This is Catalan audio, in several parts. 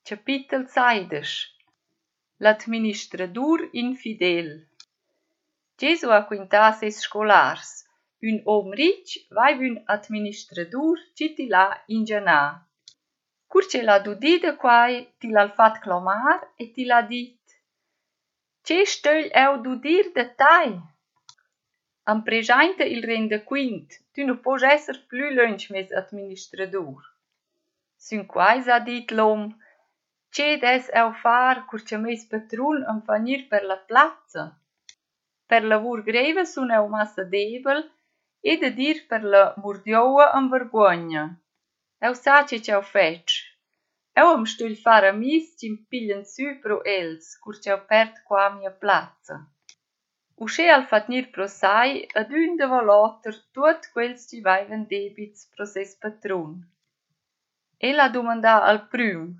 Capitel 16. L'administradur infidel. Gesù ha quintà ses scolars. Un om ric vai un administradur ci ti l'ha ingianà. Cur ce l'ha dudì da quai, ti l'ha fat clamar e ti l'ha dit: «Ce stögl eu dudir da tai?» Am preschainta il renda quint, tu nu pos esser plü lönch mes administradur. Sün quai s'ha dit l'om: «Ce des eu far cur cha mes patrun am fa gnir per la plazza?» Per lavur greva sun eu massa debel e da dir per la murdioua am vergogna. Eu sa ce eu fetg. Eu am stögl far amis ci mpiglian sü pro els, cur eu perd qua mia plazza. Usche al fat gnir pro sai ad ün davo l'oter tuot quels ci vaivan debits pro ses patrun. El ha dumandà al prüm: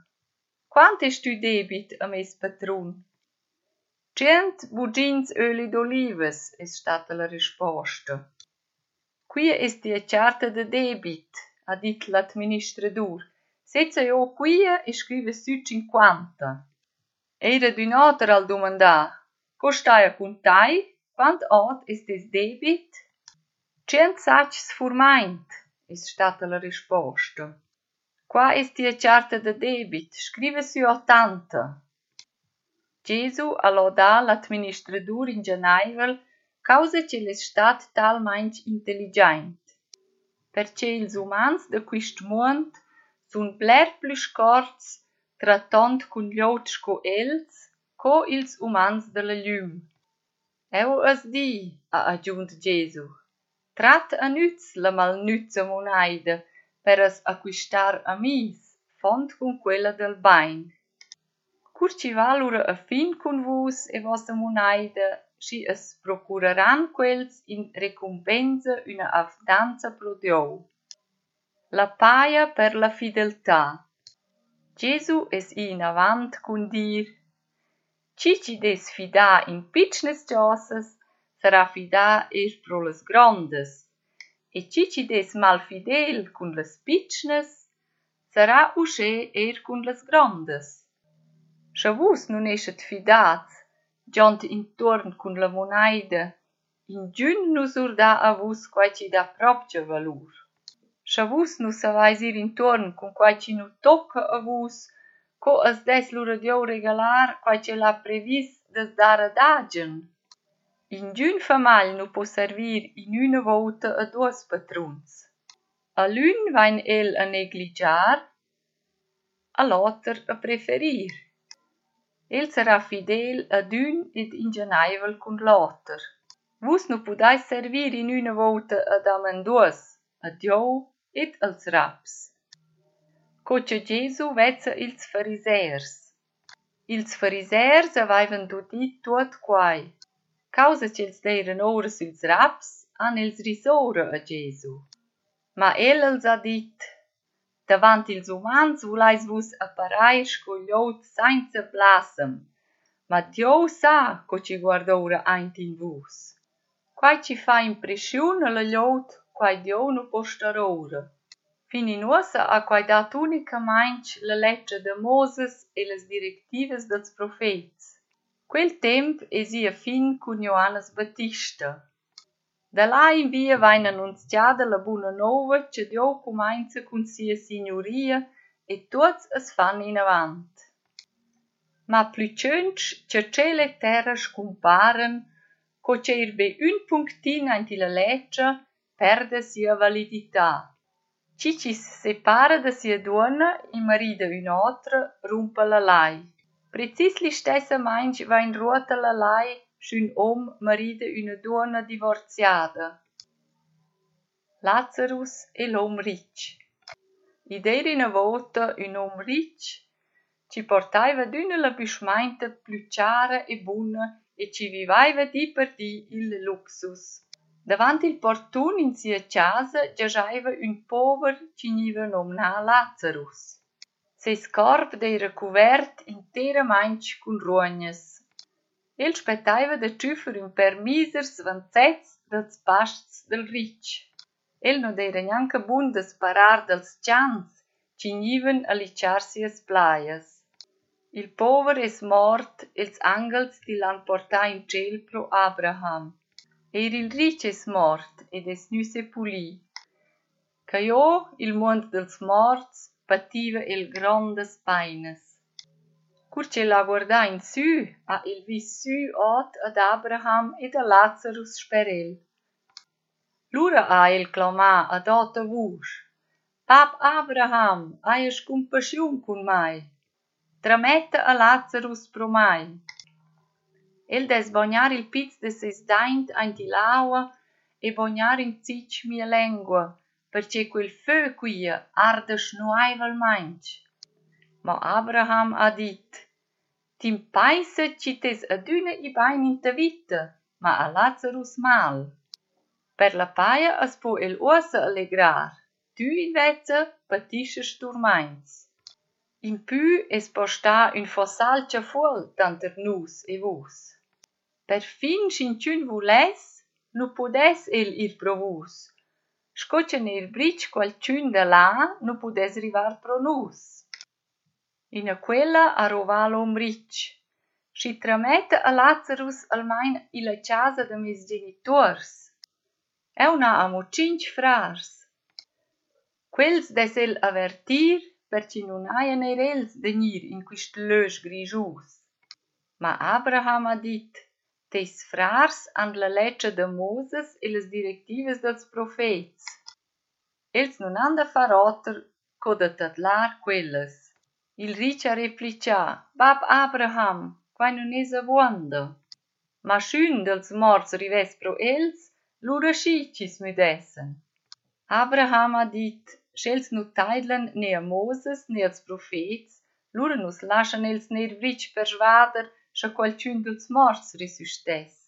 «Quant est tu debit a mes patrun?» «Cient bugins öli d'olivas», es stata la risposta. «Quia es tia charta de debit», ha dit l'administradur. «Setza jo quia e scriva sü 50. Eira d'ün oter al dumandà: «Co stai a cuntai? Quant ot es tes debit?» «Cient satgs furmaint», es stata la risposta. «Qua es tia charta de debit, scriva sü 80. Gesù ha lodà l'administradur ingenaivel causa che l'es stat talmaing intelligent. Perché ils umans da quist muond sun bler plü scorts tratont cun glieud sco els, co ils umans da la glüm. Eu as di, ha aggiunt Gesù, trat a nüz la malnüza munaida per as acquistar amis, font cun quella del bain. Cur ci va lura a fin cun vus e vossa munaida, schi as procuraran quels in recompensa una afdanza pro Diou. La paia per la fideltà. Gesù es in avant cun dir: «Ci des fidà in pitschnes giosas, sarà fidà pro las grondas, e ci des mal fidel cun las pitschnes, sarà usche cun las grondas. Scha vus nun eschet fidats, giont intuorn cun la munaida, ingün nu surda a vus quai ci dà propcha valur. Scha vus nu savais ir intuorn cun quai ci nu tocca a vus, co as des lura Diou regalar quai ce l'ha previs das dar ad agen. Ingün famagl nu po servir in üna volta a duos patruns. A l'ün vain el a negligiar, a l'oter a preferir. El sarà fidel ad ün ed ingenaivel cun l'oter. Vus nu pudais servir in üna volta ad amenduos, a Diou ed als raps. Co cha Gesù vezza ils farisers. Ils farisers avaivan dudit tuot quai. Causa ch'els deiran ora süls raps, han els risora a Gesù. Ma el els ha dit: «Davant ils umans vulais vus apparai sco glieud sainza blasem, ma Diou sa co ci guardaura aint in vus. Quai ci fa impressiun a la glieud, quai Diou nu po star ora.» Fin in uossa ha quai dat unicamaing la letra de Moses e las directivas dels profets. Quel temp esia fin cun Johannes Battista. Da là in via vain annunziada la buna nova che Diou cumainza cun sia signoria e tuots as fan in avant. Ma plü tschönsch che ciel e terra scumparen, co che irbe un punctin aint la letra perde sia validità. Ci separa da sia duona, i marida un'altra, rumpa la lai. Precis li stessa mainch va in ruota la lai sch'ün om marida una duona divorziada. Lazarus e l'om ric. Id era ina volta un om ric ci portaiva d'üna la büschmainta plü chara e buna e ci vivaiva di per di il luxus. Davant il portun in sia casa giaschaiva un pover ci gniva nomnà Lazarus. Ses corp d'eira cuvert interamaing cun ruognas. El spettaiva da tschüffer un permisers vanzets dals pasts del ric. El no d'eira gnanca bun da sparar dals chans ci gnivan a liciar sias plaias. Il pover es mort, els angels ti l'han portà in ciel pro Abraham. Il ric es mort ed es nu sepulì. Ca io, il mond dels morts, pativa el grondas painas. Cur ce la guardà in sü, ha il vis sü ot ad Abraham ed a Lazarus sper el. Lura ha el clamà ad ota vusch: Pap Abraham, haies compassion cun mai. Trametta a Lazarus pro mai. El des bagnar il piz de ses daint aint il aua e bagnar in citg mia lengua, perché quel fö quia arda schnuaivelmaing. Ma Abraham ha dit: Tim paisa ci tes adüna i bain in ta vita, ma a Lazarus mal. Per la paia as po el uossa allegrar, tu invezza patisches turmains. In pü es postà un fossalcia fuol tanter nus e vus. Per fin scinciun vules, nu pudes el ir pro vus. Scoccia ner bric qualciun da là, nu pudes rivar pro nus. In quella arrovà l'om ric. Si trametta a Lazarus almain illa casa de mes genitors. Eu na amo 5 frars. Quels des el avertir, perci nun haien eir els vegnir in quist lösch grigius. Ma Abraham ha dit: Teis frars han la legge de Moses e las directivas dels profets. Els nun han da far oter co da tadlar quellas. Il ric ha replicia: Bab Abraham, quai nun es avuonda. Ma schün dels morts rives pro els, lura schicis müdessen. Abraham ha dit: Schels nu taidlan ne a Moses ne als profets, lura nus laschan els ner vric per schwader scha qualciun dels morts resustes.